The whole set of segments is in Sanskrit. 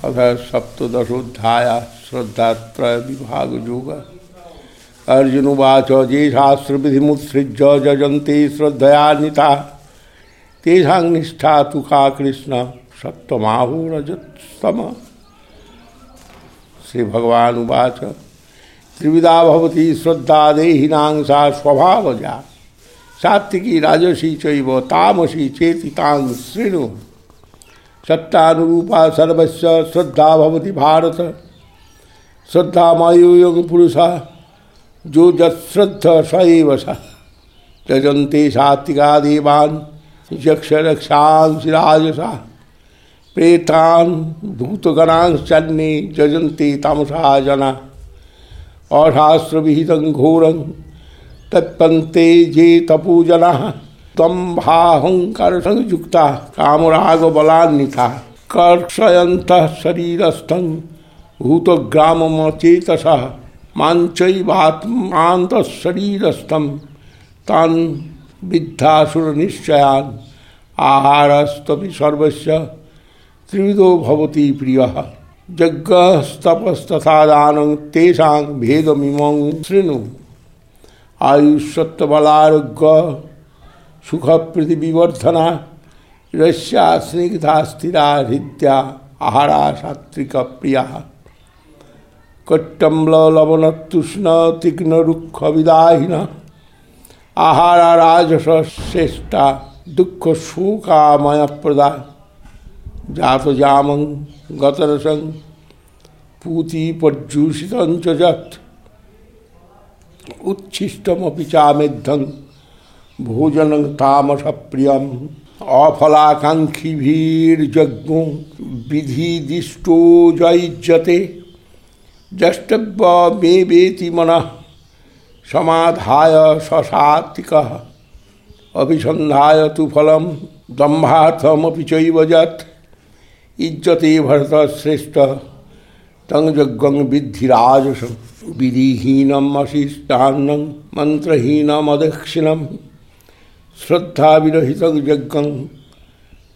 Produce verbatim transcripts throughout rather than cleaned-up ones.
अथ सप्तदशोऽध्याय श्रद्धात्रय विभाग योग। अर्जुनुवाच ये शास्त्रविधिमुत्सृज्य यजन्ते श्रद्धयान्विताः तेषां निष्ठा तु का कृष्ण सत्त्वमाहो रजस्तमः। श्री भगवान उवाच त्रिविधा भवति श्रद्धा देहिनां सा स्वभावजा सात्विकी राजसी चैव तामसी चेति तां शृणु। सत्तानुरूपा सर्वस्य श्रद्धा भवति भारत। श्रद्धामयो पुरुषः जो यश्रद्ध स एव सः। त्यजन्ते सात्विका देवान् यक्षरक्षांसि राजसा प्रेतान् भूतगणांश्चन्ये यजन्ते तामसा जना। अशास्त्रविहितं घोरं तत्पन्ते ये तपोजनाः दम्भाहंकारसंयुक्ताः कामरागबलान्विताः कर्षयन्तः शरीरस्थं भूतग्राममचेतसः माञ्चैवात्मान्तः शरीरस्थं तान् विद्धासुरनिश्चयान्। आहारस्तपि सर्वस्य त्रिविधो भवति प्रियः यज्ञस्तपस्तथा दानं तेषां भेदमिमं शृणु। आयुष्सत्त्वबलारोग्य सुखप्रीतिविवर्धना रस्या स्निग्धा स्थिरा हृद्या आहारा सात्विकप्रियाः। कट्टम्ललवणतुष्णतीक्ष्णरुक्षविदाहिनः आहारा राजसश्रेष्ठा दुःखशोकामयप्रदा। जातजामं गतरसं पूतिपर्युषितं च यत् उच्छिष्टमपि चामेद्धं भोजनं तामसप्रियम्। अफलाकाङ्क्षिभिर्यज्ञो विधिदिष्टो युज्यते द्रष्टव्य मे वेति मनः समाधाय ससात्विकः। अभिसन्धाय तु फलं दम्भार्थमपि चैव यत् इज्जते भरतश्रेष्ठ तं यज्ञं विद्धि राजसं। विधिहीनम् अशिष्टान्नं मन्त्रहीनमदक्षिणं श्रद्धाविरहितं यज्ञं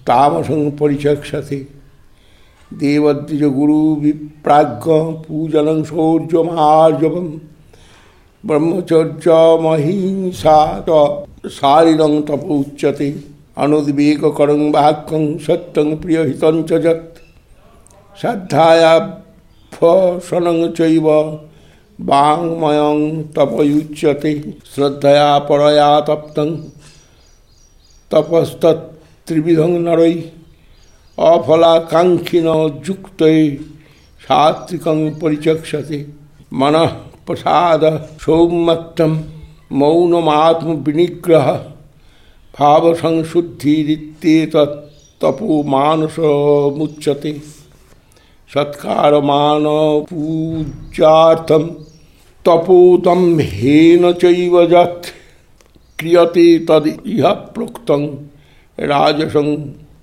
तामसं परिचक्षते। देवद्विजगुरुविप्राज्ञ पूजनं शौर्यमार्जवं ब्रह्मचर्यमहिंसा च शारीरं तपोच्यते। अनुद्वेगकरं वाक्यं सत्यं प्रियहितं च यत् श्रद्धयाभ्यसनं चैव वाङ्मयं तपयुच्यते। श्रद्धया परया तप्तं तपस्तत्त्रिविधं नरैः अफलाकाङ्क्षिणो युक्तैः सात्विकं परिचक्षते। मनः प्रसाद सौम्यत्वं मौनमात्मविनिग्रह भावसंशुद्धिरित्येतत् तपो मानसमुच्यते। सत्कारमानपूज्यार्थं तपोदम्भेन चैव यत् क्रियते तद् इह प्रोक्तं राजसं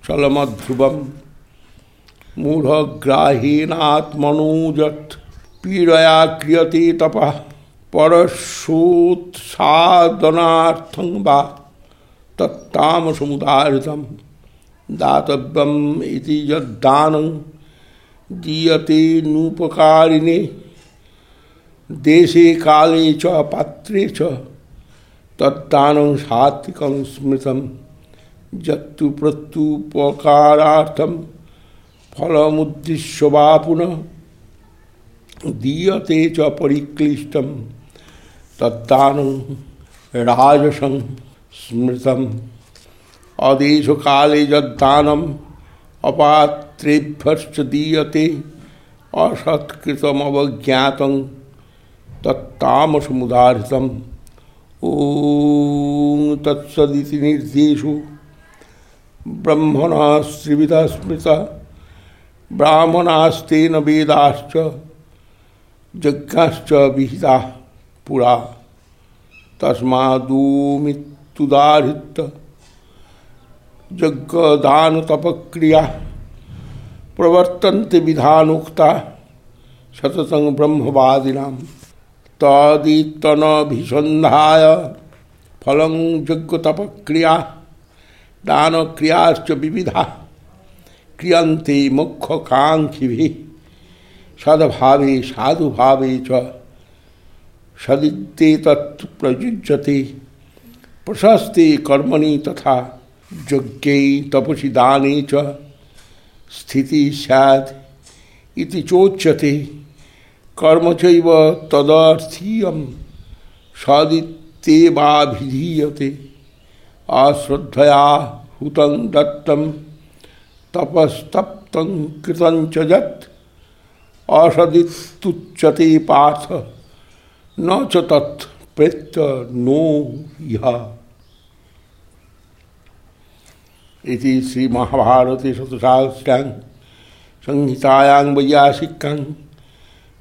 चलमध्रुवम्। मूढग्राहेणात्मनो यत् पीडया क्रियते तपः परशोत्सादनार्थं वा तत्तामसमुदाहृतं। दातव्यम् इति यद्दानं दीयते नूपकारिणे देशे काले च पात्रे च तद्दानं सात्विकं स्मृतं। यत्तु प्रत्युपकारार्थं फलमुद्दिश्य वा पुनः दीयते च परिक्लिष्टं तद्दानं राजसं स्मृतम्। अदेशकाले यद्दानम् अपात्रेभ्यश्च दीयते असत्कृतमवज्ञातं तत्तामसमुदाहृतम्। ॐ तत्सदिति निर्देशो ब्रह्मणः त्रिविधः स्मृतः ब्राह्मणास्तेन वेदाश्च यज्ञाश्च विहिताः पुरा। तस्मादोमित्युदाहृत्य यज्ञदानतपक्रिया प्रवर्तन्ते विधानोक्ता सततं ब्रह्मवादिनां। तदितनभिसन्धाय फलं यज्ञतपक्रिया दानक्रियाश्च विविधा क्रियन्ते मुख्यकांक्षिभिः सद्भावे साधुभावे च सदित्येतत् प्रयुज्यते प्रशस्ते कर्मणि तथा यज्ञे तपसि दाने च स्थिति स्यात् इति चोच्यते कर्म चैव तदर्थीयं सदित्येवाभिधीयते अश्रद्धया हुतं दत्तं तपस्तप्तं कृतं च यत् असदित्युच्यते पार्थ न च तत् प्रेत्य नो यः। इति श्री महाभारते शतसहस्रां संहितायां वैयासिकां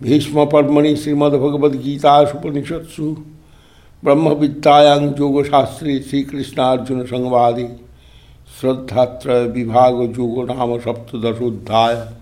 भीष्म पर्वणि श्रीमद्भगवद्गीतासूपनिषत्सु ब्रह्मविद्यायां योगशास्त्रे श्रीकृष्णार्जुन संवादे श्रद्धात्रय विभाग योगो नाम सप्तदशोऽध्यायः।